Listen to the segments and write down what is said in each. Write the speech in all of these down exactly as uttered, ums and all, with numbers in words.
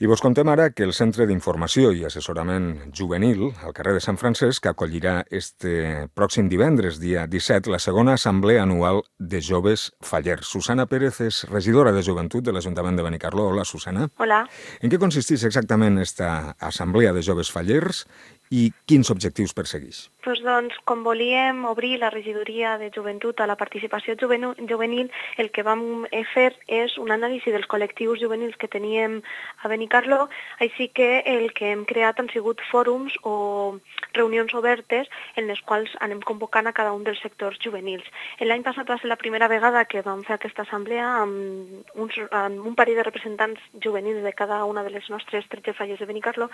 I vos contem ara que el Centre d'Informació i Assessorament Juvenil, al carrer de Sant Francesc, acollirà este pròxim divendres, dia disset, la segona assemblea anual de joves fallers. Susana Pérez és regidora de Joventut de l'Ajuntament de Benicarló. Hola, Susana. Hola. En què consisteix exactament esta assemblea de joves fallers i quins objectius persegueix? Pues doncs, com volíem obrir la regidoria de joventut a la participació juvenil, el que vam fer és un anàlisi dels col·lectius juvenils que teníem a Benicarló, així que el que hem creat han sigut fòrums o reunions obertes en les quals anem convocant a cada un dels sectors juvenils. L'any passat va ser la primera vegada que vam fer aquesta assemblea amb, uns, amb un parell de representants juvenils de cada una de les nostres tretze falles de Benicarló.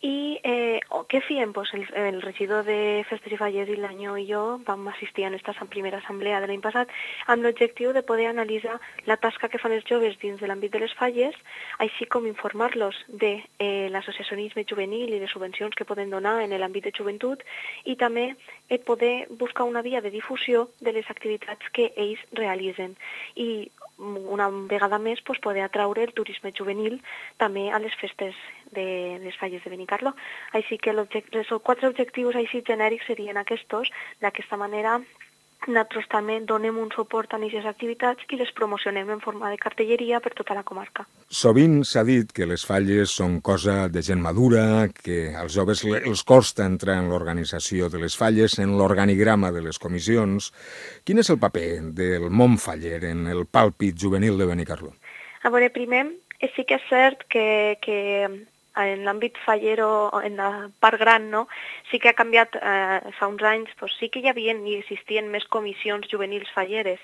I eh, què fèiem? Pues el, el regidor de Festes i Falles i l'Anyo i jo vam assistir a aquesta primera assemblea de l'any passat amb l'objectiu de poder analitzar la tasca que fan els joves dins de l'àmbit de les falles, així com informar-los de eh, l'associacionisme juvenil i les subvencions que poden donar en l'àmbit de joventut i també eh, poder buscar una via de difusió de les activitats que ells realitzen. I una vegada més pues, poder atraure el turisme juvenil també a les festes de les falles de Benicarló. Així que els quatre objectius així genèrics serien aquests. D'aquesta manera nosaltres també donem un suport a aquestes activitats i les promocionem en forma de cartelleria per tota la comarca. Sovint s'ha dit que les falles són cosa de gent madura, que als joves els costa entrar en l'organització de les falles, en l'organigrama de les comissions. Quin és el paper del món faller en el pàlpit juvenil de Benicarló? A veure, primer, sí que és cert que, que en l'àmbit fallero, en la part gran, no? Sí que ha canviat eh, fa uns anys, doncs sí que hi havia i existien més comissions juvenils falleres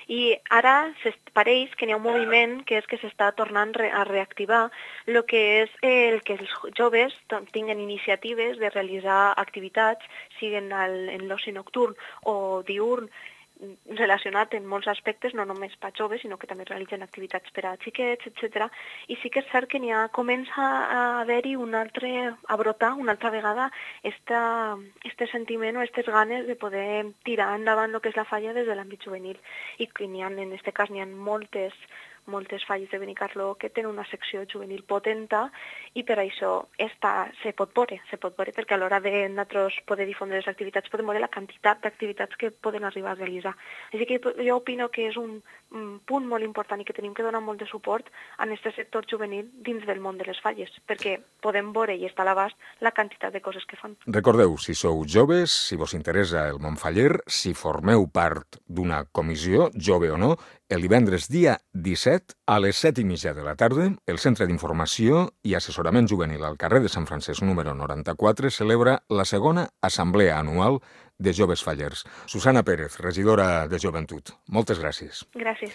i ara pareix que n'hi ha un moviment que és que s'està tornant a reactivar el que és el que els joves tinguin iniciatives de realitzar activitats, siguin en l'oci nocturn o diurn, relacionat en molts aspectes, no només per joves, sinó que també realitzen activitats per a xiquets, etcètera. I sí que és cert que n'hi ha, comença a haver-hi un altre, a brotar una altra vegada este sentiment o aquestes ganes de poder tirar endavant el que és la falla des de l'àmbit juvenil. I n'hi ha, en aquest cas n'hi ha moltes moltes falles de Benicarló que tenen una secció juvenil potenta i per això esta se pot veure, se pot veure perquè a l'hora de nosaltres poder difondre les activitats podem veure la quantitat d'activitats que poden arribar a realitzar. Així que jo opino que és un, un punt molt important i que tenim que donar molt de suport a aquest sector juvenil dins del món de les falles, perquè podem veure i està a l'abast la quantitat de coses que fan. Recordeu, si sou joves, si vos interessa el món faller, si formeu part d'una comissió, jove o no, el divendres dia disset, a les set i mitja de la tarda, el Centre d'Informació i Assessorament Juvenil al carrer de Sant Francesc número noranta-quatre celebra la segona assemblea anual de joves fallers. Susana Pérez, regidora de Joventut. Moltes gràcies. Gràcies.